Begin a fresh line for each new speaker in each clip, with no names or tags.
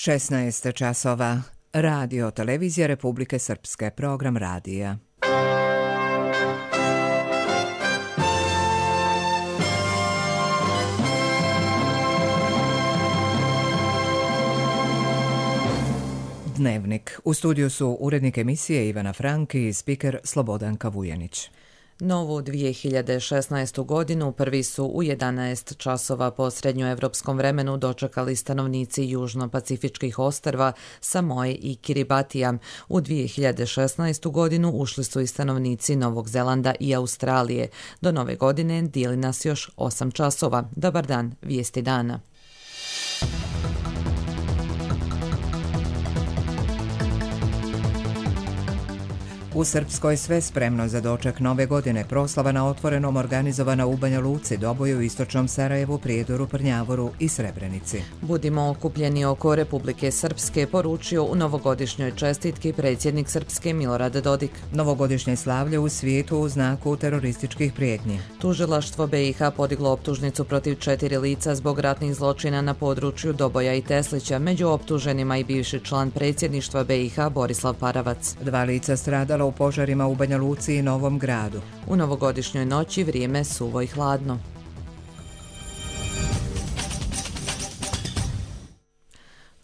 16 časova. Radio Televizija Republike Srpske. Program radija. Dnevnik. U studiju su urednik emisije Ivana Franki i spiker Slobodanka Vujanić.
Novu 2016. godinu prvi su u 11 časova po srednjoevropskom vremenu dočekali stanovnici južno-pacifičkih ostrva Samoe i Kiribatija. U 2016. godinu ušli su i stanovnici Novog Zelanda i Australije. Do nove godine dijeli nas još 8 časova. Dobar dan, vijesti dana.
U Srpskoj sve spremno za doček nove godine. Proslava na otvorenom organizovana u Banja Luci, Doboju, Istočnom Sarajevu, Prijedoru, Prnjavoru i Srebrenici.
Budimo okupljeni oko Republike Srpske, poručio u novogodišnjoj čestitki predsjednik Srpske Milorad Dodik.
Novogodišnje slavlje u svijetu u znaku terorističkih prijetnji.
Tužilaštvo BiH podiglo optužnicu protiv 4 lica zbog ratnih zločina na području Doboja i Teslića. Među optuženima i bivši član predsjedništva BiH Borislav Paravac.
2 lica stradala u požarima u Banja Luci i Novom Gradu.
U novogodišnjoj noći vrijeme suvo i hladno.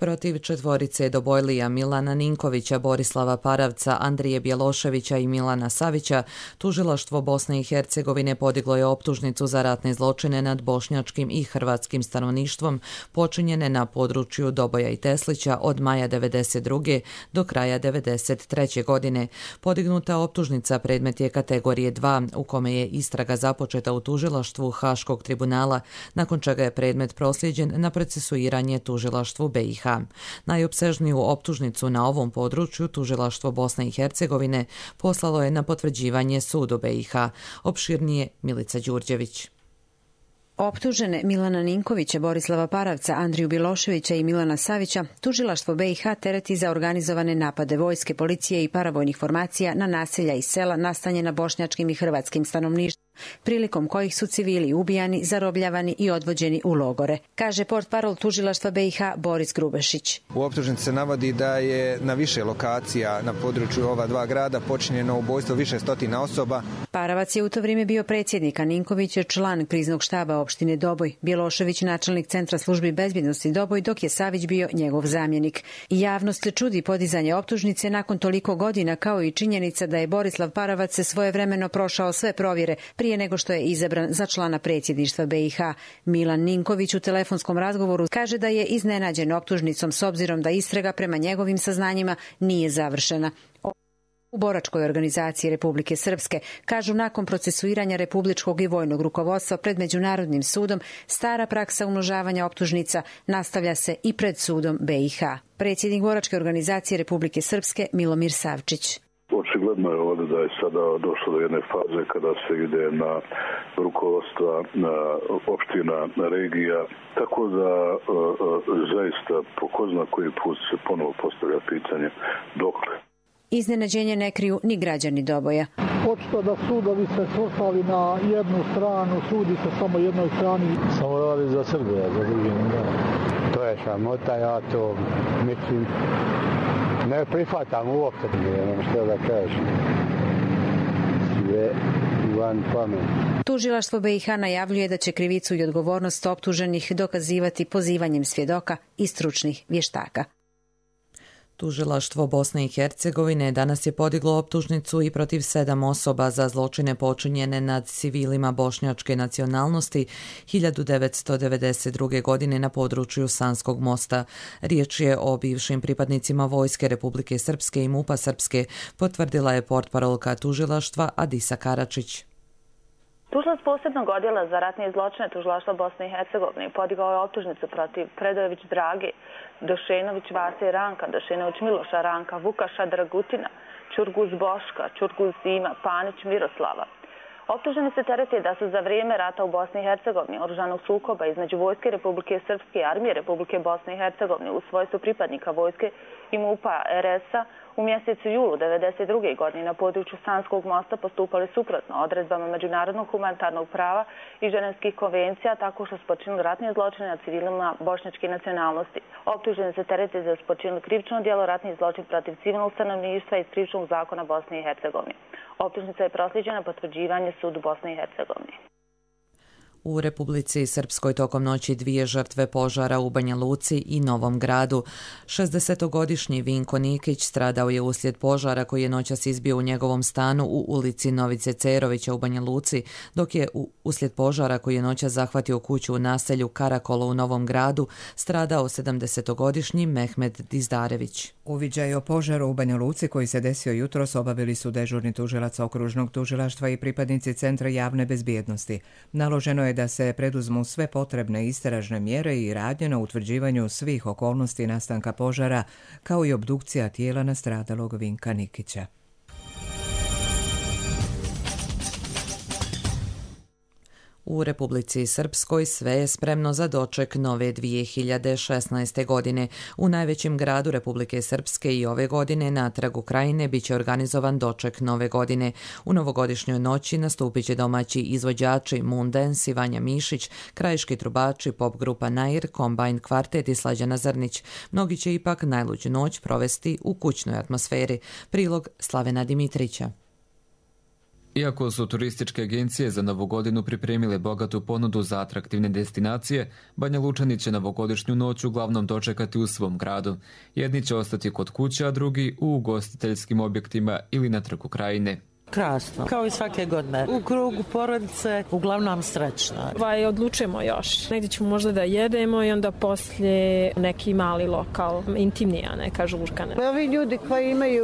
Protiv četvorice Dobojlija Milana Ninkovića, Borislava Paravca, Andrije Bjeloševića i Milana Savića, tužilaštvo Bosne i Hercegovine podiglo je optužnicu za ratne zločine nad bošnjačkim i hrvatskim stanovništvom počinjene na području Doboja i Teslića od maja 1992. do kraja 1993. godine. Podignuta optužnica predmet je kategorije 2, u kome je istraga započeta u tužilaštvu Haškog tribunala, nakon čega je predmet proslijeđen na procesuiranje tužilaštvu BiH. Najopsežniju optužnicu na ovom području tužilaštvo Bosne i Hercegovine poslalo je na potvrđivanje sudu BiH. Opširnije Milica Đurđević.
Optužene Milana Ninkovića, Borislava Paravca, Andriju Bjeloševića i Milana Savića tužilaštvo BiH tereti za organizovane napade vojske, policije i paravojnih formacija na naselja i sela nastanjena bošnjačkim i hrvatskim stanovništvom, prilikom kojih su civili ubijani, zarobljavani i odvođeni u logore, kaže portparol tužilaštva BiH Boris Grubešić.
U optužnici se navodi da je na više lokacija na području ova 2 grada počinjeno ubojstvo više stotina osoba.
Paravac je u to vrijeme bio predsjednik, a Ninković je član kriznog štaba opštine Doboj, Bjelošević načelnik Centra službi bezbjednosti Doboj, dok je Savić bio njegov zamjenik. Javnost se čudi podizanje optužnice nakon toliko godina, kao i činjenica da je Borislav Paravac se svojevremeno prošao sve provjere prije nego što je izabran za člana predsjedništva BiH. Milan Ninković u telefonskom razgovoru kaže da je iznenađen optužnicom s obzirom da istraga prema njegovim saznanjima nije završena. U boračkoj organizaciji Republike Srpske kažu nakon procesuiranja republičkog i vojnog rukovodstva pred Međunarodnim sudom stara praksa umnožavanja optužnica nastavlja se i pred sudom BiH. Predsjednik boračke organizacije Republike Srpske Milomir Savčić.
Očigledno je ovdje da je sada došlo do jedne faze kada se ide na rukovodstva na opština, na regija, tako da zaista po ko zna koji put se ponovo postavlja pitanje dokle.
Iznenađenje ne kriju ni građani Doboja.
Očito da sudovi se svrstali na jednu stranu, sudi se samo jednoj strani.
Samo radi za Srbije, za drugim ne. To je sramota, ja to mislim ne prihvatam uopće, nemam što da kažem. Sve van pamet.
Tužilaštvo BiH najavljuje da će krivicu i odgovornost optuženih dokazivati pozivanjem svjedoka i stručnih vještaka.
Tužilaštvo Bosne i Hercegovine danas je podiglo optužnicu i protiv 7 osoba za zločine počinjene nad civilima bošnjačke nacionalnosti 1992. godine na području Sanskog mosta. Riječ je o bivšim pripadnicima Vojske Republike Srpske i MUP-a Srpske, potvrdila je portparolka tužilaštva Adisa Karačić.
Tužilac posebnog odjela za ratne zločine tužilaštva Bosne i Hercegovine podigao je optužnicu protiv Predojević Drage, Došenović Vase Ranka, Došenović Miloša Ranka, Vukaša Dragutina, Čurguz Boška, Čurguz Zima, Panić Miroslava. Optuženi se tereti da su za vrijeme rata u Bosni i Hercegovini, oružanog sukoba između Vojske Republike Srpske i Armije Republike Bosne i Hercegovine u svojstvu pripadnika vojske i MUP-a RS-a u mjesecu julu 1992. godine na području Sanskog mosta postupali suprotno odredbama međunarodnog humanitarnog prava i ženevskih konvencija tako što su počinili ratne zločine nad civilima bošnjačke nacionalnosti. Optuženi se tereti da su počinili krivično djelo ratni zločin protiv civilnog stanovništva iz krivičnog zakona Bosne i Hercegovine. Optužnica je proslijeđena potvrđivanje sudu Bosne i Hercegovine.
U Republici Srpskoj tokom noći 2 žrtve požara u Banja Luci i Novom Gradu. 60-godišnji Vinko Nikić stradao je uslijed požara koji je noćas izbio u njegovom stanu u ulici Novice Cerovića u Banja Luci, dok je uslijed požara koji je noćas zahvatio kuću u naselju Karakolo u Novom Gradu stradao 70-godišnji Mehmed Dizdarević.
Uviđaj o požaru u Banja Luci koji se desio jutros obavili su dežurni tužilac okružnog tužilaštva i pripadnici Centra javne bezbjednosti. Naloženo je da se preduzmu sve potrebne istražne mjere i radnje na utvrđivanju svih okolnosti nastanka požara, kao i obdukcija tijela nastradalog Vinka Nikića.
U Republici Srpskoj sve je spremno za doček nove 2016. godine. U najvećem gradu Republike Srpske i ove godine na trgu Krajine biće organizovan doček nove godine. U novogodišnjoj noći nastupit će domaći izvođači Moon Dance i Vanja Mišić, krajiški trubači, pop grupa Nair, Combine kvartet i Slađana Zrnić. Mnogi će ipak najluđu noć provesti u kućnoj atmosferi. Prilog Slavena Dimitrića.
Iako su turističke agencije za Novu godinu pripremile bogatu ponudu za atraktivne destinacije, Banja Lučani će novogodišnju noć uglavnom dočekati u svom gradu. Jedni će ostati kod kuće, a drugi u ugostiteljskim objektima ili na trgu Krajine.
Krasno, kao i svake godine. U krugu porodice, uglavnom srećno.
Odlučujemo još. Negdje ćemo možda da jedemo i onda poslije neki mali lokal, intimnija neka žurka.
Ovi ljudi koji imaju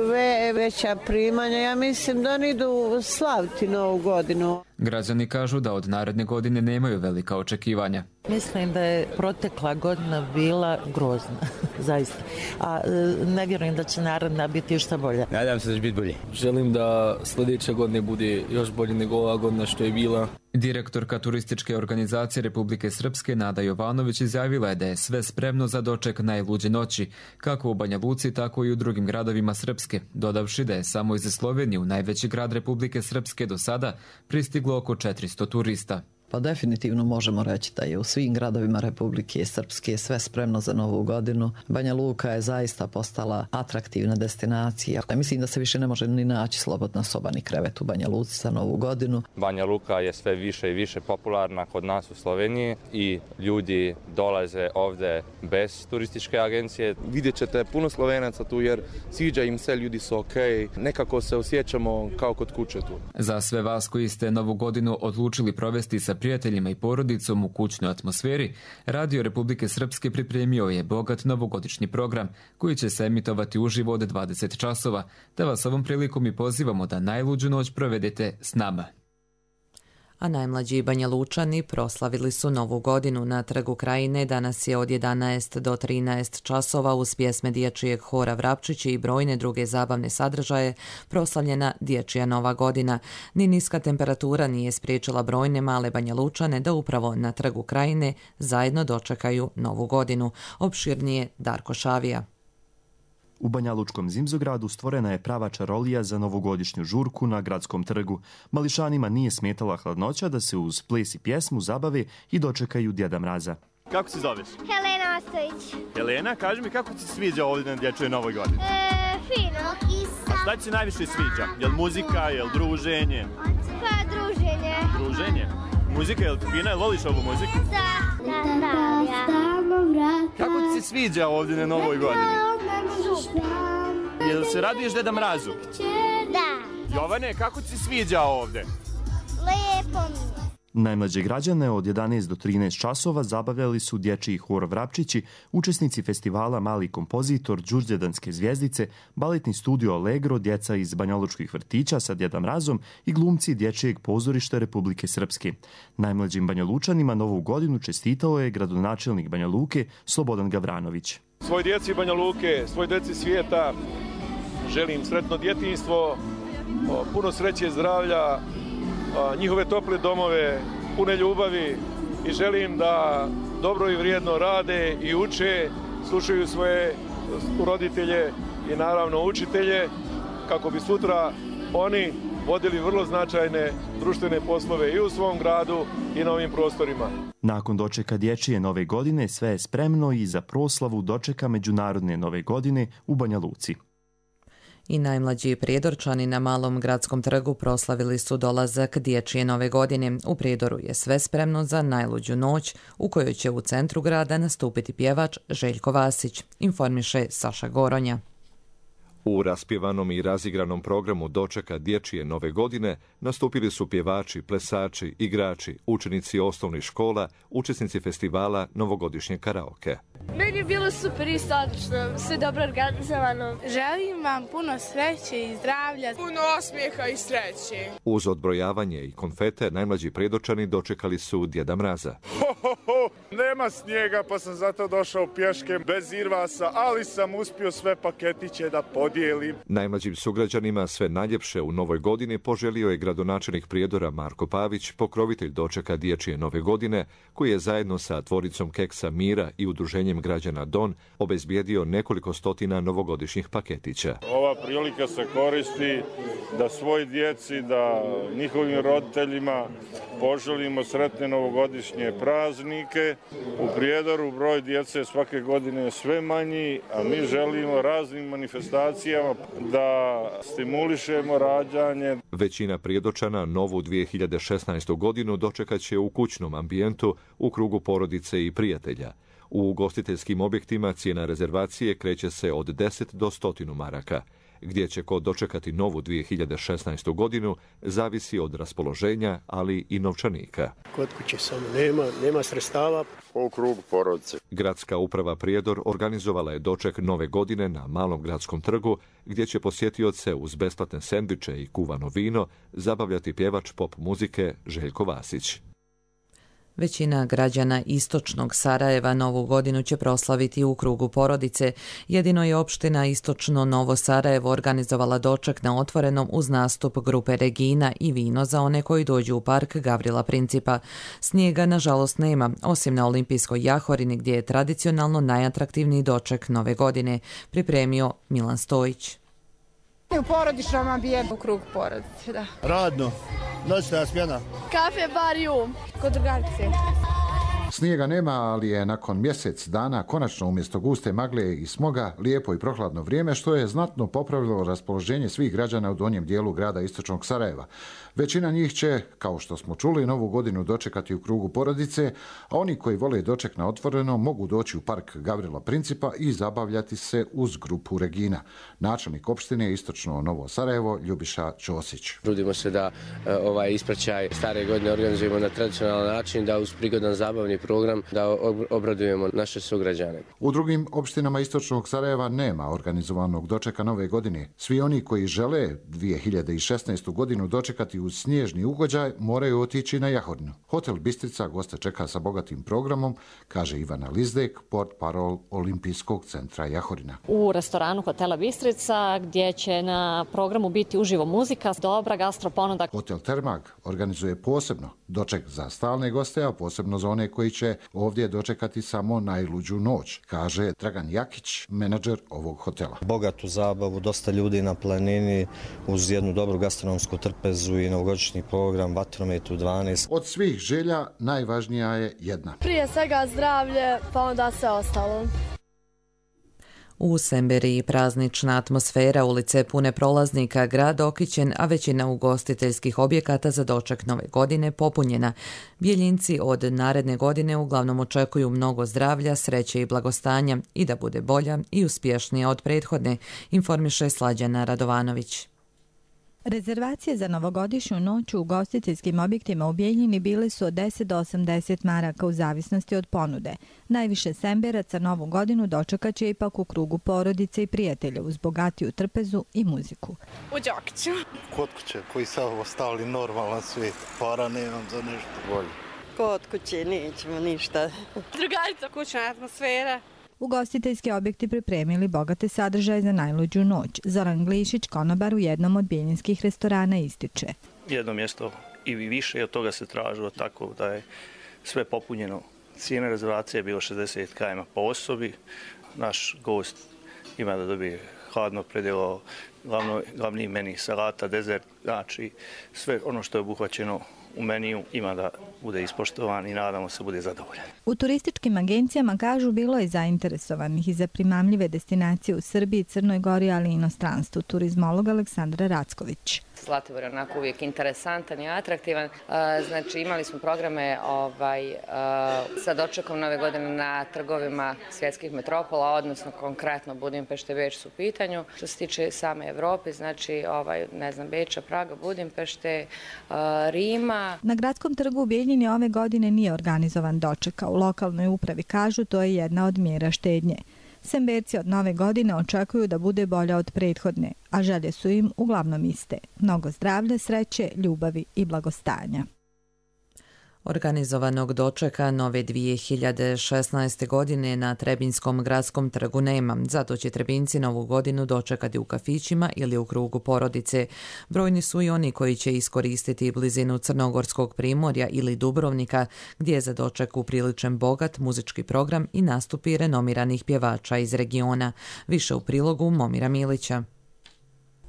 veća primanja, ja mislim da oni idu slaviti Novu godinu.
Građani kažu da od naredne godine nemaju velika očekivanja.
Mislim da je protekla godina bila grozna, zaista. A ne vjerujem da će naredna biti još bolja.
Nadam se da će biti bolje.
Želim da sljedeća godina bude još bolje nego ova godina što je bila.
Direktorka turističke organizacije Republike Srpske Nada Jovanović izjavila je da je sve spremno za doček najluđe noći, kako u Banja Luci, tako i u drugim gradovima Srpske, dodavši da je samo iz Slovenije u najveći grad Republike Srpske do sada pristiglo oko 400 turista.
Pa definitivno možemo reći da je u svim gradovima Republike Srpske sve spremno za Novu godinu. Banja Luka je zaista postala atraktivna destinacija. Mislim da se više ne može ni naći slobodna soba ni krevet u Banja Luci za Novu godinu.
Banja Luka je sve više i više popularna kod nas u Sloveniji i ljudi dolaze ovdje bez turističke agencije.
Vidjet ćete puno Slovenaca tu jer sviđa im se, ljudi su okej. Nekako se osjećamo kao kod kuće tu.
Za sve vas koji ste Novu godinu odlučili provesti sa prijateljima i porodicom u kućnoj atmosferi, Radio Republike Srpske pripremio je bogat novogodišnji program koji će se emitovati uživo od 20 časova, te vas ovom prilikom i pozivamo da najluđu noć provedete s nama.
A najmlađi Banja Lučani proslavili su Novu godinu na trgu Krajine. Danas je od 11 do 13 časova uz pjesme dječjeg hora Vrapčići i brojne druge zabavne sadržaje proslavljena dječja Nova godina. Ni niska temperatura nije spriječila brojne male Banja Lučane da upravo na trgu Krajine zajedno dočekaju Novu godinu. Opširnije Darko Šavija.
U Banjalučkom Zimzogradu stvorena je prava čarolija za novogodišnju žurku na gradskom trgu. Mališanima nije smetala hladnoća da se uz ples i pjesmu zabave i dočekaju Djeda Mraza.
Kako se zoveš?
Helena Ostojić.
Helena, kaži mi kako ti se sviđa ovdje na dječjoj Novoj godini?
Fino.
A šta ti se najviše sviđa? Jel muzika, jel druženje?
Pa druženje.
Druženje? Muzika, jel ti fina? Jel voliš ovu muziku?
Da.
Kako ti se sviđa ovdje na Novoj godini? Jel se raduješ Deda Mrazu?
Da.
Jovane, kako ti se sviđa ovdje?
Lijepo mi je.
Najmlađe građane od 11 do 13 časova zabavljali su dječji hor Vrapčići, učesnici festivala Mali kompozitor, Đurđedanske zvjezdice, baletni studio Allegro, djeca iz banjalučkih vrtića sa Djedom Mrazom i glumci dječjeg pozorišta Republike Srpske. Najmlađim Banjalučanima Novu godinu čestitao je gradonačelnik Banja Luke Slobodan Gavranović.
Svoj djeci Banja Luke, svoj djeci svijeta želim sretno djetinjstvo, puno sreće, zdravlja njihove tople domove, pune ljubavi i želim da dobro i vrijedno rade i uče, slušaju svoje roditelje i naravno učitelje kako bi sutra oni vodili vrlo značajne društvene poslove i u svom gradu i na ovim prostorima.
Nakon dočeka dječje nove godine sve je spremno i za proslavu dočeka Međunarodne nove godine u Banja Luci.
I najmlađi Prijedorčani na Malom gradskom trgu proslavili su dolazak dječje nove godine. U Prijedoru je sve spremno za najluđu noć u kojoj će u centru grada nastupiti pjevač Željko Vasić, informiše Saša Goronja.
U raspjevanom i razigranom programu dočeka dječje nove godine nastupili su pjevači, plesači, igrači, učenici osnovnih škola, učesnici festivala Novogodišnje karaoke.
Meni je bilo super i sadržno, sve dobro organizovano.
Želim vam puno sreće i zdravlja,
puno osmijeha i sreće.
Uz odbrojavanje i konfete najmlađi Prijedorčani dočekali su Djeda Mraza.
Nema snijega pa sam zato došao pješke bez irvasa, ali sam uspio sve paketiće da podijelim.
Najmlađim sugrađanima sve najljepše u novoj godini poželio je gradonačelnik Prijedora Marko Pavić, pokrovitelj dočeka dječje nove godine, koji je zajedno sa tvoricom keksa Mira i udruženjem građana Don obezbijedio nekoliko stotina novogodišnjih paketića.
Ova prilika se koristi da svoj djeci, da njihovim roditeljima poželimo sretne novogodišnje praznike. U Prijedoru broj djece svake godine je sve manji, a mi želimo raznim manifestacijama da stimulišemo rađanje.
Većina Prijedorčana novu 2016. godinu dočekat će u kućnom ambijentu u krugu porodice i prijatelja. U ugostiteljskim objektima cijena rezervacije kreće se od 10 do 100 maraka. Gdje će ko dočekati novu 2016. godinu zavisi od raspoloženja, ali i novčanika.
Kod kuće samo nema sredstava.
U krugu porodice.
Gradska uprava Prijedor organizovala je doček nove godine na Malom gradskom trgu, gdje će posjetioce uz besplatne sendviče i kuvano vino zabavljati pjevač pop muzike Željko Vasić.
Većina građana istočnog Sarajeva novu godinu će proslaviti u krugu porodice. Jedino je opština Istočno Novo Sarajevo organizovala doček na otvorenom uz nastup grupe Regina i vino za one koji dođu u park Gavrila Principa. Snijega nažalost nema, osim na Olimpijskoj jahorini gdje je tradicionalno najatraktivniji doček nove godine, pripremio Milan Stojić.
U porodičnom ambijentu u krug porodice, da.
Radno, noćna smjena.
Kafe, bar i kod drugarice.
Snijega nema, ali je nakon mjesec dana konačno umjesto guste magle i smoga lijepo i prohladno vrijeme, što je znatno popravilo raspoloženje svih građana u donjem dijelu grada Istočnog Sarajeva. Većina njih će, kao što smo čuli, novu godinu dočekati u krugu porodice, a oni koji vole doček na otvoreno mogu doći u park Gavrila Principa i zabavljati se uz grupu Regina. Načelnik opštine Istočno Novo Sarajevo Ljubiša Ćosić.
Trudimo se da ovaj ispraćaj stare godine organizujemo na tradicionalan način, da uz prigodan zabavni program da obradujemo naše sugrađane.
U drugim opštinama Istočnog Sarajeva nema organizovanog dočeka nove godine. Svi oni koji žele 2016. godinu dočekati uz snježni ugođaj moraju otići na Jahorinu. Hotel Bistrica goste čeka sa bogatim programom, kaže Ivana Lizdek, portparol Olimpijskog centra Jahorina.
U restoranu Hotela Bistrica gdje će na programu biti uživo muzika, dobra gastroponuda.
Hotel Termag organizuje posebno doček za stalne goste, a posebno za one koji će ovdje dočekati samo najluđu noć, kaže Dragan Jakić, menadžer ovog hotela.
Bogatu zabavu, dosta ljudi na planini uz jednu dobru gastronomsku trpezu i novogodišnji program, vatromet u 12.
Od svih želja najvažnija je jedna.
Prije svega zdravlje, pa onda sve ostalo.
U Semberiji praznična atmosfera, ulice pune prolaznika, grad okićen, a većina ugostiteljskih objekata za doček nove godine popunjena. Bjeljinci od naredne godine uglavnom očekuju mnogo zdravlja, sreće i blagostanja i da bude bolja i uspješnija od prethodne, informiše Slađana Radovanović.
Rezervacije za novogodišnju noć u ugostiteljskim objektima u Bijeljini bile su od 10 do 80 maraka u zavisnosti od ponude. Najviše Semberaca novu godinu dočekat će ipak u krugu porodice i prijatelja uz bogatiju trpezu i muziku.
U Đokiću.
Kod kuće koji su ostali normalan svijet, para nemam za nešto bolje.
Kod kuće nećemo ništa.
Drugarica, kućna atmosfera.
Ugostiteljski objekti pripremili bogate sadržaje za najluđu noć. Zoran Glišić, konobar u jednom od bijeljinskih restorana, ističe.
Jedno mjesto
i više od toga se tražilo, tako da je sve popunjeno. Cijena rezervacije je bilo 60 km po osobi. Naš gost ima da dobije hladno predjelo, glavni meni salata, dezert, znači sve ono što je obuhvaćeno u meniju ima da bude ispoštovan i nadamo se bude zadovoljan.
U turističkim agencijama kažu bilo je zainteresovanih i za primamljive destinacije u Srbiji, Crnoj Gori, ali i inostranstvu. Turizmolog Aleksandra Racković.
Zlatibor je onako uvijek interesantan i atraktivan. Znači imali smo programe sa dočekom Nove godine na trgovima svjetskih metropola, odnosno konkretno Budimpešte, Beč su u pitanju. Što se tiče same Evrope, znači Beča, Praga, Budimpešte, Rima.
Na gradskom trgu u Bijeljini ove godine nije organizovan doček, a u lokalnoj upravi kažu to je jedna od mjera štednje. Semberci od nove godine očekuju da bude bolja od prethodne, a želje su im uglavnom iste. Mnogo zdravlja, sreće, ljubavi i blagostanja.
Organizovanog dočeka nove 2016. godine na Trebinjskom gradskom trgu nema, zato će Trebinjci novu godinu dočekati u kafićima ili u krugu porodice. Brojni su i oni koji će iskoristiti blizinu Crnogorskog primorja ili Dubrovnika, gdje je za doček upriličen bogat muzički program i nastupi renomiranih pjevača iz regiona. Više u prilogu Momira Milića.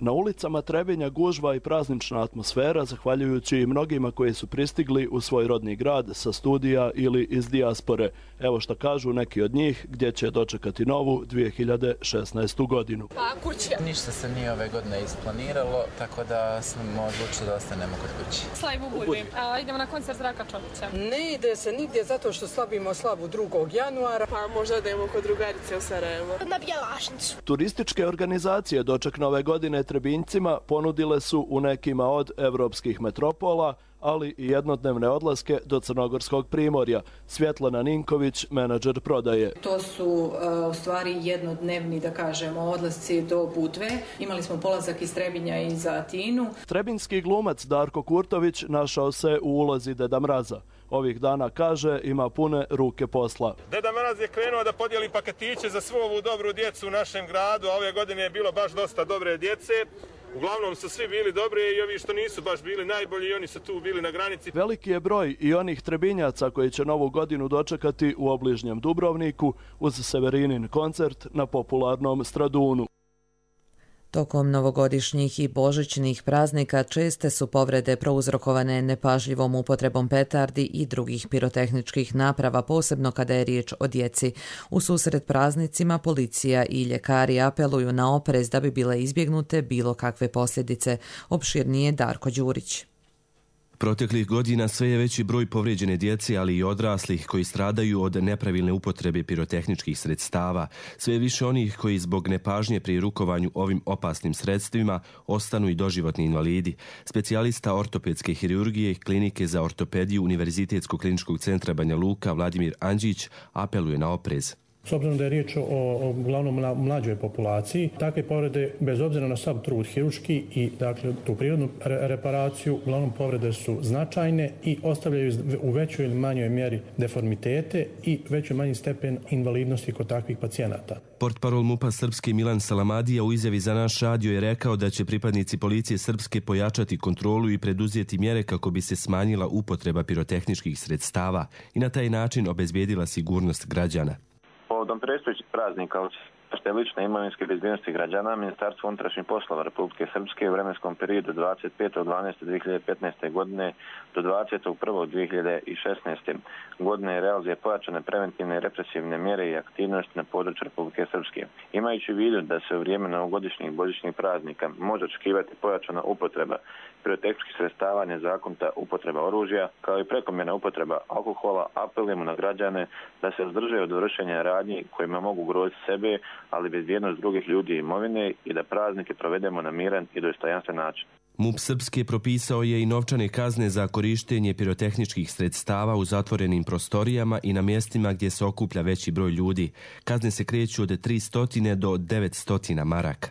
Na ulicama Trebinja gužva i praznična atmosfera, zahvaljujući mnogima koji su pristigli u svoj rodni grad sa studija ili iz dijaspore. Evo što kažu neki od njih gdje će dočekati novu 2016. godinu.
Pa kuće. Ništa se nije ove godine isplaniralo, tako da smo odlučili da ostanemo kod kuće. Slavimo u Budvi. Idemo na koncert Zdravka Čovića.
Ne ide se nigdje zato što slavimo slavu 2. januara.
Pa možda da idemo kod drugarice u Sarajevo.
Na Bjelašnicu.
Turističke organizacije doček nove godine Trebinjcima ponudile su u nekima od evropskih metropola, ali i jednodnevne odlaske do Crnogorskog primorja. Svjetlana Ninković, menadžer prodaje.
To su u stvari jednodnevni, da kažemo, odlasci do Budve. Imali smo polazak iz Trebinja i za Atinu.
Trebinjski glumac Darko Kurtović našao se u ulozi Deda Mraza. Ovih dana, kaže, ima pune ruke posla.
Deda Mraz je krenuo da podijeli paketiće za svu ovu dobru djecu u našem gradu, a ove godine je bilo baš dosta dobre djece. Uglavnom su svi bili dobri i ovi što nisu baš bili najbolji i oni su tu bili na granici.
Veliki je broj i onih Trebinjaca koji će novu godinu dočekati u obližnjem Dubrovniku uz Severinin koncert na popularnom Stradunu.
Tokom novogodišnjih i božićnih praznika česte su povrede prouzrokovane nepažljivom upotrebom petardi i drugih pirotehničkih naprava, posebno kada je riječ o djeci. U susret praznicima policija i ljekari apeluju na oprez da bi bile izbjegnute bilo kakve posljedice. Opširnije Darko Đurić.
Proteklih godina sve je veći broj povrijeđene djece, ali i odraslih koji stradaju od nepravilne upotrebe pirotehničkih sredstava. Sve je više onih koji zbog nepažnje pri rukovanju ovim opasnim sredstvima ostanu i doživotni invalidi. Specijalista ortopedske hirurgije klinike za ortopediju Univerzitetskog kliničkog centra Banja Luka Vladimir Anđić apeluje na oprez.
S obzirom da je riječ o uglavnom mlađoj populaciji, takve povrede, bez obzira na sav trud hirurški i dakle, tu prirodnu reparaciju, uglavnom povrede su značajne i ostavljaju u većoj ili manjoj mjeri deformitete i većoj manji stepen invalidnosti kod takvih pacijenata.
Portparol MUP-a Srpske Milan Salamadija u izjavi za naš radio je rekao da će pripadnici policije Srpske pojačati kontrolu i preduzeti mjere kako bi se smanjila upotreba pirotehničkih sredstava i na taj način obezbijedila sigurnost građana.
Povodom predstojećih praznika te lične imovinske bezbjednosti građana, Ministarstvo unutrašnjih poslova Republike Srpske u vremenskom periodu 25.12.2015. godine do 20.1.2016. godine realizuje pojačane preventivne i represivne mjere i aktivnosti na području Republike Srpske. Imajući u vidu da se u vrijeme novogodišnjih i božićnih praznika može očekivati pojačana upotreba pirotehničkih sredstava, nezakonita upotreba oružja, kao i prekomjerna upotreba alkohola, apelujemo na građane da se uzdrže od vršenja radnji kojima mogu ugroziti sebe, ali bezbjednost drugih ljudi i imovine i da praznike provedemo na miran i dostojanstven način.
MUP Srpske propisao je i novčane kazne za korištenje pirotehničkih sredstava u zatvorenim prostorijama i na mjestima gdje se okuplja veći broj ljudi. Kazne se kreću od 300 do 900 maraka.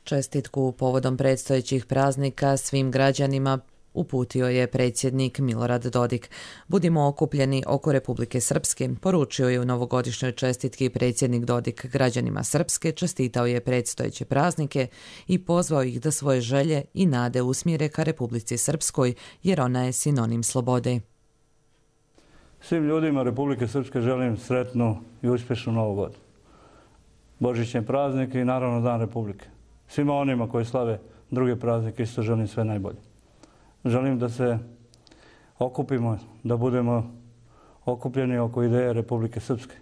Čestitku povodom predstojećih praznika svim građanima uputio je predsjednik Milorad Dodik. Budimo okupljeni oko Republike Srpske, poručio je u novogodišnjoj čestitki predsjednik Dodik građanima Srpske, čestitao je predstojeće praznike i pozvao ih da svoje želje i nade usmjere ka Republici Srpskoj, jer ona je sinonim slobode.
Svim ljudima Republike Srpske želim sretnu i uspješnu Novu godinu. Božićne praznike i naravno Dan Republike. Svima onima koji slave druge praznike isto želim sve najbolje. Želim da se okupimo, da budemo okupljeni oko ideje Republike Srpske.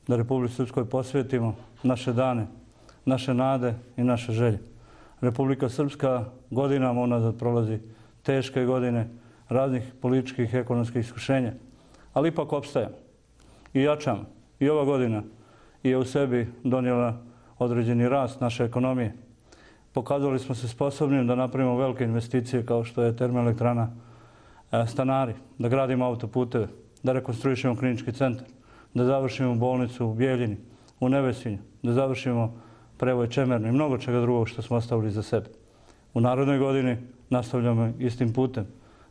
Da Republike Srpskoj posvetimo naše dane, naše nade i naše želje. Republika Srpska godinama unazad prolazi teške godine raznih političkih i ekonomskih iskušenja, ali ipak opstajamo i jačamo. I ova godina je u sebi donijela određeni rast naše ekonomije. Pokazali smo se sposobnim da napravimo velike investicije kao što je termoelektrana Stanari, da gradimo autoputeve, da rekonstruišemo klinički centar, da završimo bolnicu u Bijeljini, u Nevesinju, da završimo prevoj Čemernu i mnogo čega drugog što smo ostavili za sebe. U narednoj godini nastavljamo istim putem,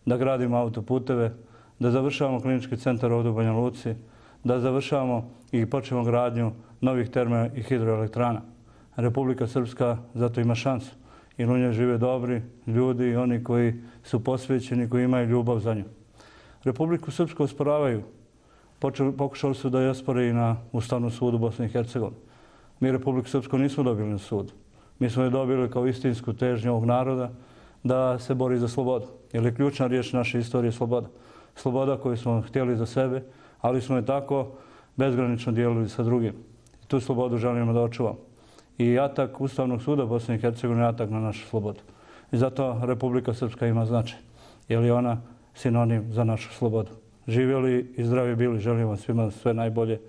da gradimo autoputeve, da završavamo klinički centar ovdje u Banja Luci, da završavamo i počnemo gradnju novih termo i hidroelektrana. Republika Srpska zato ima šansu, jer u njoj žive dobri ljudi i oni koji su posvećeni, koji imaju ljubav za nju. Republiku Srpsku osporavaju. Pokušali su da je ospore i na Ustavnom sudu Bosne i Hercegovine. Mi Republiku Srpsku nismo dobili na sudu. Mi smo je dobili kao istinsku težnju ovog naroda da se bori za slobodu. Jer je ključna riječ naše istorije sloboda. Sloboda koju smo htjeli za sebe, ali smo je tako bezgranično dijelili sa drugim. I tu slobodu želimo da očuvamo. I atak Ustavnog suda Bosne i Hercegovine je atak na našu slobodu. I zato Republika Srpska ima značaj, jer je ona sinonim za našu slobodu. Živjeli i zdravi bili, želimo svima sve najbolje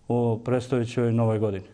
u predstojećoj novoj godini.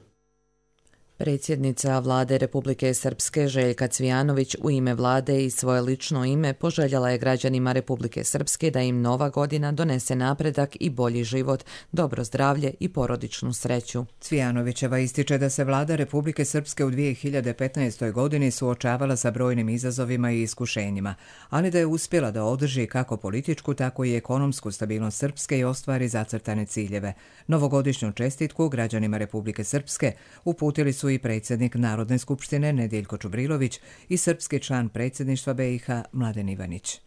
Predsjednica Vlade Republike Srpske Željka Cvijanović u ime vlade i svoje lično ime poželjela je građanima Republike Srpske da im nova godina donese napredak i bolji život, dobro zdravlje i porodičnu sreću.
Cvijanovićeva ističe da se vlada Republike Srpske u 2015. godini suočavala sa brojnim izazovima i iskušenjima, ali da je uspjela da održi kako političku, tako i ekonomsku stabilnost Srpske i ostvari zacrtane ciljeve. Novogodišnju čestitku građanima Republike Srpske uputili su i predsjednik Narodne skupštine Nedijeljko Čubrilović i srpski član predsjedništva BiH Mladen Ivanić.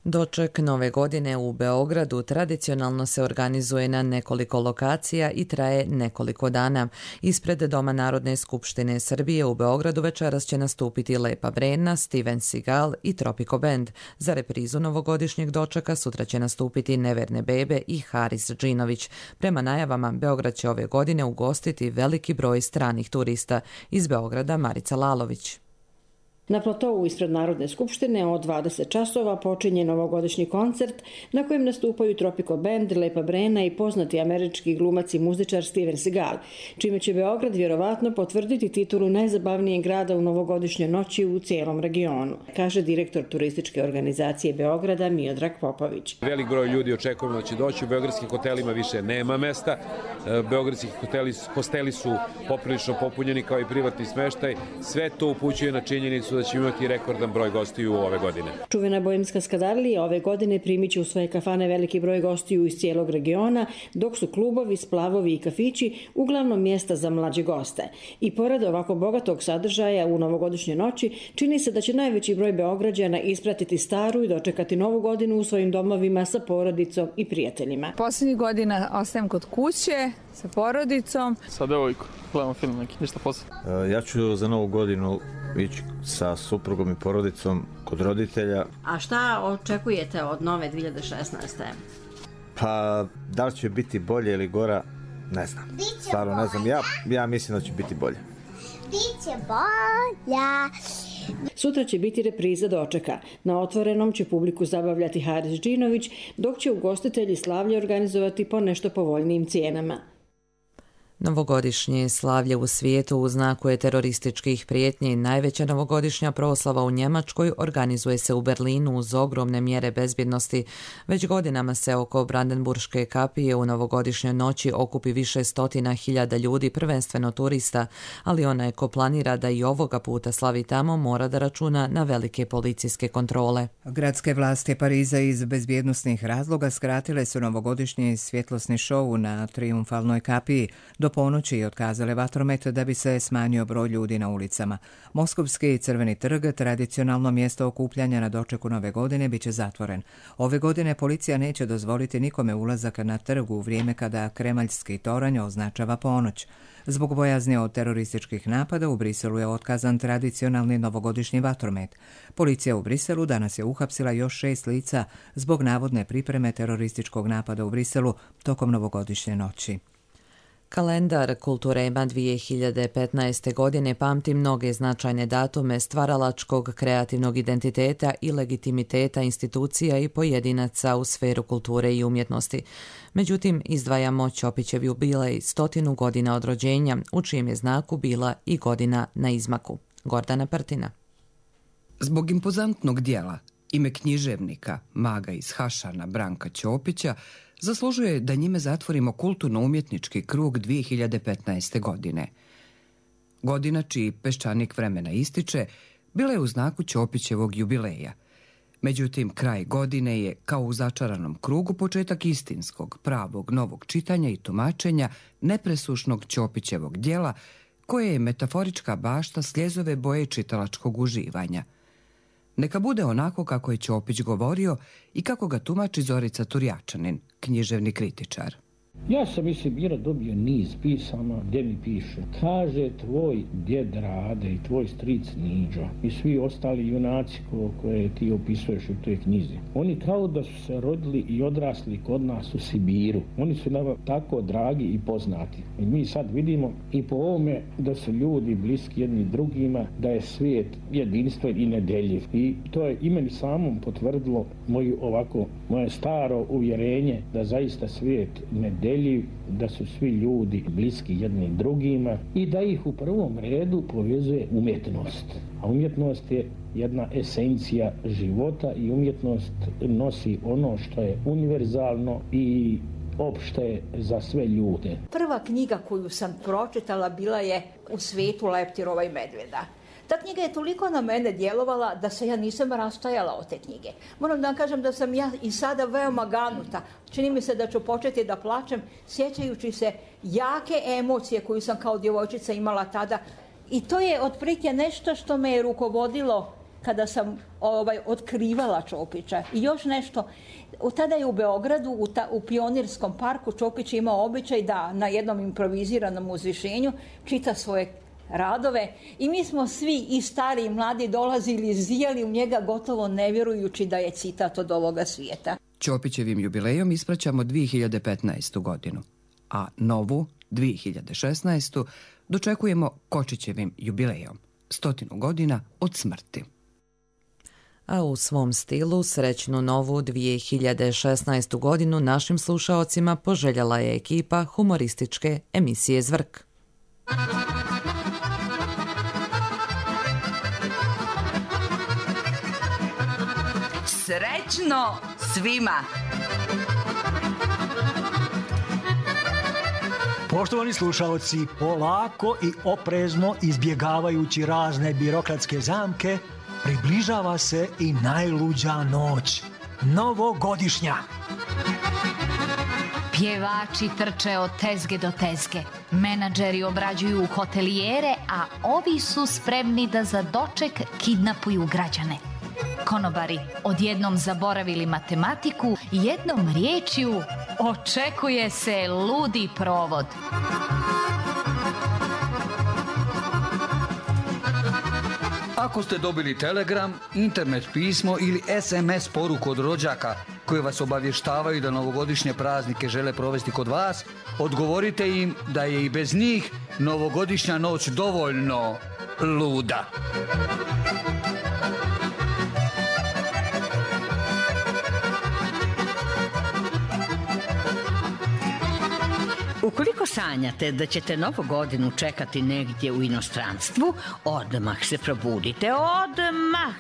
Doček nove godine u Beogradu tradicionalno se organizuje na nekoliko lokacija i traje nekoliko dana. Ispred Doma Narodne skupštine Srbije u Beogradu večeras će nastupiti Lepa Brena, Steven Seagal i Tropico Band. Za reprizu novogodišnjeg dočeka sutra će nastupiti Neverne Bebe i Haris Džinović. Prema najavama, Beograd će ove godine ugostiti veliki broj stranih turista. Iz Beograda Marica Lalović.
Na platovu ispred Narodne skupštine od 20 časova počinje novogodišnji koncert na kojem nastupaju Tropico Band, Lepa Brena i poznati američki glumac i muzičar Steven Seagal, čime će Beograd vjerovatno potvrditi titulu najzabavnijeg grada u novogodišnjoj noći u cijelom regionu, kaže direktor turističke organizacije Beograda Miodrag Popović.
Velik broj ljudi očekujemo da će doći, u beogradskim hotelima više nema mesta, beogradski hosteli su poprilično popunjeni kao i privatni smeštaj, sve to upućuje na činjenicu da će imati rekordan broj gostiju ove godine.
Čuvena Boemska skadarlija ove godine primit će u svoje kafane veliki broj gostiju iz cijelog regiona, dok su klubovi, splavovi i kafići uglavnom mjesta za mlađe goste. I pored ovako bogatog sadržaja u novogodišnjoj noći, čini se da će najveći broj Beograđana ispratiti staru i dočekati novu godinu u svojim domovima sa porodicom i prijateljima.
Posljednjih godina ostajem kod kuće sa porodicom.
Sa devojkom, gledamo film neki, ništa posebno.
Ja ću za novu godinu ići sa suprugom i porodicom kod roditelja.
A šta očekujete od nove 2016.
Pa, da li će biti bolje ili gora, ne znam. Stvarno ne znam, ja mislim da će biti bolje.
Biće bolja. Sutra će biti repriza dočeka. Na otvorenom će publiku zabavljati Haris Džinović, dok će ugostitelji slavlje organizovati po nešto povoljnijim cijenama.
Novogodišnje slavlje u svijetu u znaku je terorističkih prijetnji. Najveća novogodišnja proslava u Njemačkoj organizuje se u Berlinu uz ogromne mjere bezbjednosti. Već godinama se oko Brandenburške kapije u novogodišnjoj noći okupi više stotina hiljada ljudi, prvenstveno turista, ali onaj ko planira da i ovoga puta slavi tamo mora da računa na velike policijske kontrole.
Gradske vlasti Pariza iz bezbjednosnih razloga skratile su novogodišnji svjetlosni šou na Trijumfalnoj kapiji do ponoći i otkazale vatromet da bi se smanjio broj ljudi na ulicama. Moskovski Crveni trg, tradicionalno mjesto okupljanja na dočeku nove godine, bit će zatvoren. Ove godine policija neće dozvoliti nikome ulazak na trgu u vrijeme kada Kremaljski toranj označava ponoć. Zbog bojazni od terorističkih napada u Briselu je otkazan tradicionalni novogodišnji vatromet. Policija u Briselu danas je uhapsila još 6 lica zbog navodne pripreme terorističkog napada u Briselu tokom novogodišnje noći.
Kalendar Kulturema 2015. godine pamti mnoge značajne datume stvaralačkog kreativnog identiteta i legitimiteta institucija i pojedinaca u sferu kulture i umjetnosti. Međutim, izdvajamo Ćopićev jubilej 100 godina od rođenja, u čijem je znaku bila i godina na izmaku. Gordana Prtina.
Zbog impozantnog dijela, ime književnika, maga iz Hašana Branka Ćopića, zaslužuje da njime zatvorimo kulturno-umjetnički krug 2015. godine. Godina čiji peščanik vremena ističe bila je u znaku Ćopićevog jubileja. Međutim, kraj godine je, kao u začaranom krugu, početak istinskog, pravog, novog čitanja i tumačenja nepresušnog Ćopićevog djela, koje je metaforička bašta sljezove boje čitalačkog uživanja. Neka bude onako kako je Ćopić govorio i kako ga tumači Zorica Turjačanin, književni kritičar.
Ja sam dobio niz pisama gdje mi piše: kaže tvoj djed Rade i tvoj stric Niđo i svi ostali junaci koje ti opisuješ u toj knjizi. Oni kao da su se rodili i odrasli kod nas u Sibiru. Oni su nam tako dragi i poznati. I mi sad vidimo i po ovome da su ljudi bliski jedni drugima, da je svijet jedinstven i nedeljiv. I to je i meni samom potvrdilo moje staro uvjerenje da zaista svijet nedeljiv, da su svi ljudi bliski jedni drugima i da ih u prvom redu povezuje umjetnost. A umjetnost je jedna esencija života i umjetnost nosi ono što je univerzalno i opšte za sve ljude.
Prva knjiga koju sam pročitala bila je U svijetu leptirova i medvjeda. Ta knjiga je toliko na mene djelovala da se ja nisam rastajala od te knjige. Moram da vam kažem da sam ja i sada veoma ganuta. Čini mi se da ću početi da plačem sjećajući se jake emocije koju sam kao djevojčica imala tada. I to je otprilike nešto što me je rukovodilo kada sam otkrivala Ćopića. I još nešto, tada je u Beogradu, u Pionirskom parku, Ćopić imao običaj da na jednom improviziranom uzvišenju čita svoje radove i mi smo svi, i stari i mladi, dolazili i zijali u njega gotovo ne vjerujući da je citat od ovoga svijeta.
Ćopićevim jubilejom ispraćamo 2015. godinu, a novu, 2016. dočekujemo Kočićevim jubilejom, 100 godina od smrti.
A u svom stilu srećnu novu 2016. godinu našim slušaocima poželjela je ekipa humorističke emisije Zvrk.
Srećno svima!
Poštovani slušalci, polako i oprezno izbjegavajući razne birokratske zamke, približava se i najluđa noć, novogodišnja.
Pjevači trče od tezge do tezge, menadžeri obrađuju hotelijere, a ovi su spremni da za doček kidnapuju građane. Konobari odjednom zaboravili matematiku i jednom riječju očekuje se ludi provod.
Ako ste dobili telegram, internet pismo ili SMS poruku od rođaka koji vas obavještavaju da novogodišnje praznike žele provesti kod vas, odgovorite im da je i bez njih novogodišnja noć dovoljno luda.
U
Ukoliko sanjate da ćete novu godinu čekati negdje u inostranstvu, odmah se probudite, odmah!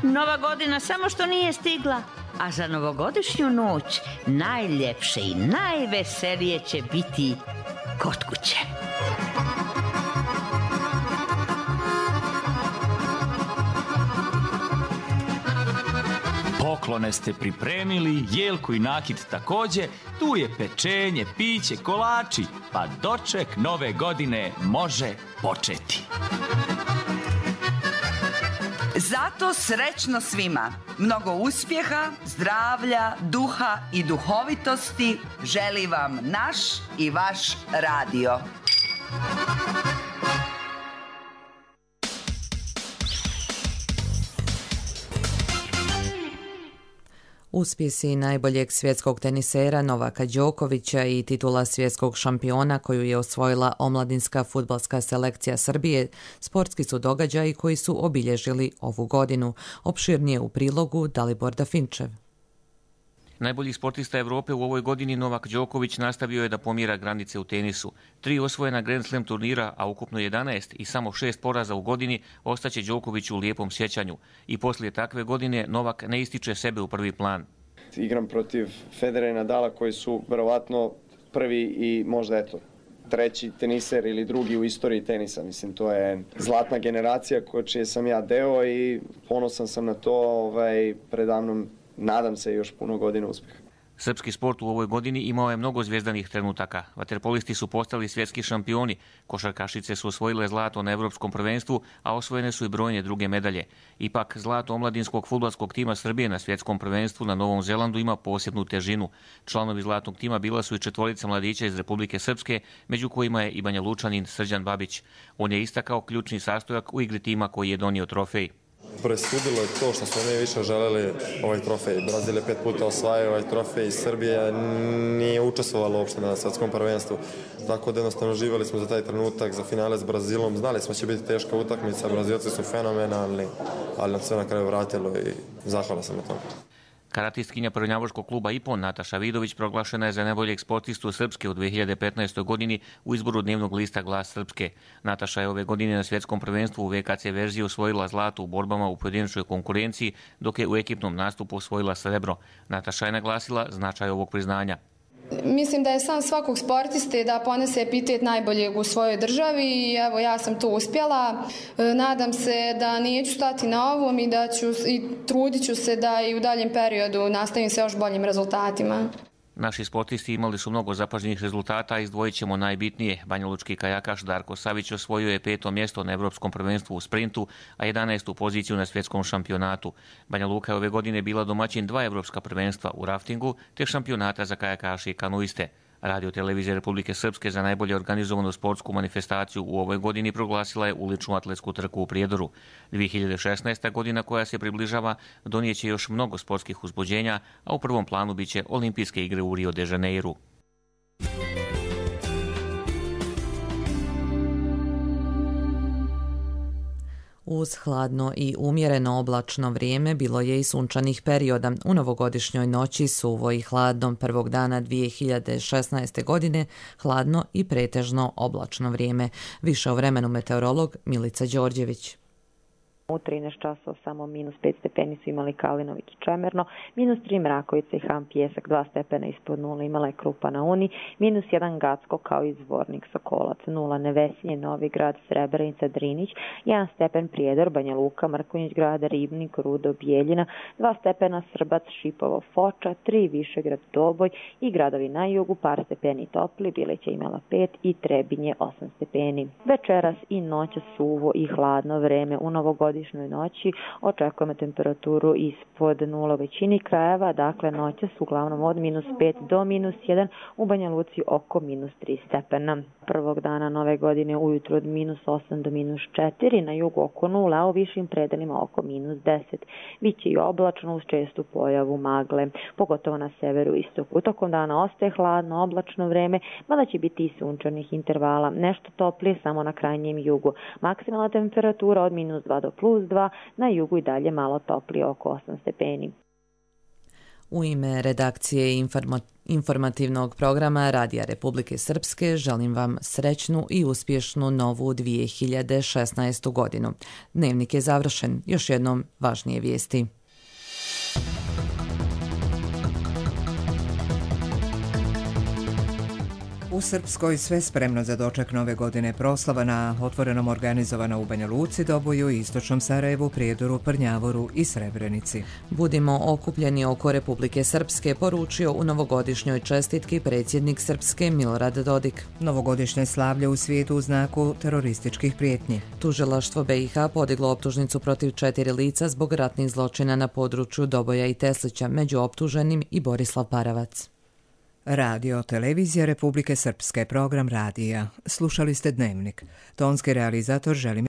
Nova godina samo što nije stigla, a za novogodišnju noć najljepše i najveselije će biti kod kuće.
Poklone ste pripremili, jelku i nakit također, tu je pečenje, piće, kolači, pa doček nove godine može početi.
Zato srećno svima, mnogo uspjeha, zdravlja, duha i duhovitosti želi vam naš i vaš radio.
Uspjesi najboljeg svjetskog tenisera Novaka Đokovića i titula svjetskog šampiona koju je osvojila omladinska fudbalska selekcija Srbije sportski su događaji koji su obilježili ovu godinu. Opširnije u prilogu Dalibor Dafinčev.
Najbolji sportista Evrope u ovoj godini Novak Đoković nastavio je da pomjera granice u tenisu. 3 osvojena Grand Slam turnira, a ukupno 11 i samo 6 poraza u godini ostaće Đoković u lijepom sjećanju. I poslije takve godine Novak ne ističe sebe u prvi plan.
Igram protiv Federera i Nadala koji su verovatno prvi i možda treći teniser ili drugi u istoriji tenisa. Mislim, to je zlatna generacija čije sam ja deo i ponosan sam na to. Predamnom nadam se još puno godina uspjeha.
Srpski sport u ovoj godini imao je mnogo zvijezdanih trenutaka. Vaterpolisti su postali svjetski šampioni, košarkašice su osvojile zlato na Evropskom prvenstvu, a osvojene su i brojne druge medalje. Ipak, zlato omladinskog fudbalskog tima Srbije na svjetskom prvenstvu na Novom Zelandu ima posebnu težinu. Članovi zlatnog tima bila su i 4 mladića iz Republike Srpske, među kojima je i Banja Lučanin Srđan Babić. On je istakao ključni sastojak u igri tima koji je donio trofej.
Presudilo je to što smo mi više želeli ovaj trofej. Brazil je 5 puta osvajao ovaj trofej i Srbija nije učestvovala uopšte na svjetskom prvenstvu. Tako da jednostavno živjeli smo za taj trenutak, za finale s Brazilom. Znali smo da će biti teška utakmica, Brazilci su fenomenalni, ali nam sve na kraju vratilo i zahvalan sam na tome.
Karatistkinja prvnjavoškog kluba IPON Nataša Vidović proglašena je za najboljeg sportistu Srpske u 2015. godini u izboru dnevnog lista Glas Srpske. Nataša je ove godine na svjetskom prvenstvu u VKC verziji osvojila zlato u borbama u pojedinačnoj konkurenciji, dok je u ekipnom nastupu osvojila srebro. Nataša je naglasila značaj ovog priznanja.
Mislim da je san svakog sportiste da ponese epitet najboljeg u svojoj državi i evo ja sam to uspjela. Nadam se da neću stati na ovom i trudit ću se da i u daljem periodu nastavim se još boljim rezultatima.
Naši sportisti imali su mnogo zapažnjenih rezultata, izdvojit ćemo najbitnije. Banjalučki kajakaš Darko Savić osvojio je 5. mjesto na Evropskom prvenstvu u sprintu, a 11. poziciju na svjetskom šampionatu. Banja Luka je ove godine bila domaćin 2 evropska prvenstva u raftingu, te šampionata za kajakaše i kanuiste. Radio televizija Republike Srpske za najbolje organizovanu sportsku manifestaciju u ovoj godini proglasila je uličnu atletsku trku u Prijedoru. 2016. godina koja se približava donijeće još mnogo sportskih uzbuđenja, a u prvom planu biće olimpijske igre u Rio de Janeiru.
Uz hladno i umjereno oblačno vrijeme bilo je i sunčanih perioda. U novogodišnjoj noći suvo i hladno prvog dana 2016. godine, hladno i pretežno oblačno vrijeme. Više o vremenu meteorolog Milica Đorđević.
U 13 časova samo -5 stepeni su imali Kalinović Čemerno, -3 Mrakovica i Ham Pjesak, 2 stepena ispod 0 imala je Krupa na Uni, -1 Gacko kao i Zvornik Sokolac, 0 Nevesinje, Novigrad, Srebrenica, Drinić, 1 stepen Prijedor, Banja Luka, Mrkonjić grada, Ribnik, Rudo, Bijeljina, 2 stepena Srbac, Šipovo, Foča, 3 Višegrad, Doboj i gradovi na jugu, par stepeni topli, Bileća imala 5 i Trebinje 8 stepeni. Večeras i noća suvo i hladno vreme. U novogodišnjoj noći očekujemo temperaturu ispod 0 u većini krajeva, dakle noća su uglavnom od -5 do -1, u Banja Luci oko -3 stepena. Prvog dana nove godine ujutro od -8 do -4, na jugu oko 0, a u višim predelima oko -10. Biće i oblačno uz čestu pojavu magle, pogotovo na severu i istoku. Tokom dana ostaje hladno, oblačno vreme, mada će biti i sunčanih intervala. Nešto toplije samo na krajnjem jugu. Maksimalna temperatura od -2 do +2, na jugu i dalje malo toplije oko 8 stepeni.
U ime redakcije informativnog programa Radija Republike Srpske želim vam srećnu i uspješnu novu 2016. godinu. Dnevnik je završen. Još jednom važnije vijesti.
U Srpskoj sve spremno za doček nove godine. Proslava na otvorenom organizovana u Banja Luci, Doboju, Istočnom Sarajevu, Prijedoru, Prnjavoru i Srebrenici.
Budimo okupljeni oko Republike Srpske, poručio u novogodišnjoj čestitki predsjednik Srpske Milorad Dodik.
Novogodišnje slavlje u svijetu u znaku terorističkih prijetnji.
Tužilaštvo BiH podiglo optužnicu protiv 4 lica zbog ratnih zločina na području Doboja i Teslića, među optuženim i Borislav Paravac.
Radio Televizija Republike Srpske, program radija. Slušali ste Dnevnik. Tonski realizator Želimir